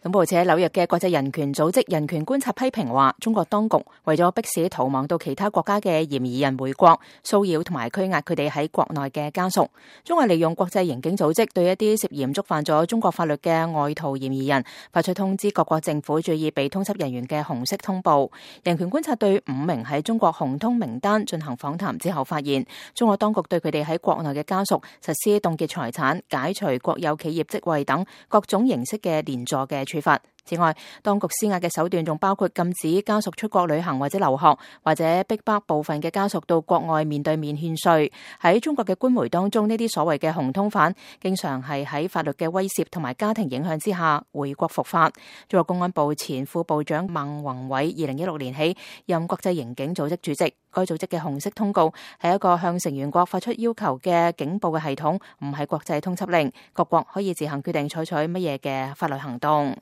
咁報紙喺紐約嘅國際人權組織人權觀察批評話，中國當局為咗迫使逃亡到其他國家嘅嫌疑人回國，騷擾同埋拘押佢哋喺國內嘅家屬。中國利用國際刑警組織對一啲涉嫌觸犯咗中國法律嘅外逃嫌疑人發出通知，各國政府注意被通緝人員嘅紅色通報。人權觀察對5名喺中國紅通名單進行訪談之後發現，中國當局對佢哋喺國內嘅家屬實施凍結財產、解除國有企業職位等各種形式嘅連坐嘅處罰。此外，當局施壓嘅手段仲包括禁止家屬出國旅行或者留學，或者逼迫部分嘅家屬到國外面對面獻稅。喺中國嘅官媒當中，呢啲所謂嘅紅通犯經常係喺法律嘅威懾同埋家庭影響之下回國伏法。中國公安部前副部長孟宏偉2016年起任國際刑警組織主席。該組織嘅紅色通告係一個向成員國發出要求嘅警報嘅系統，唔係國際通緝令。各國可以自行決定採取乜嘢嘅法律行動。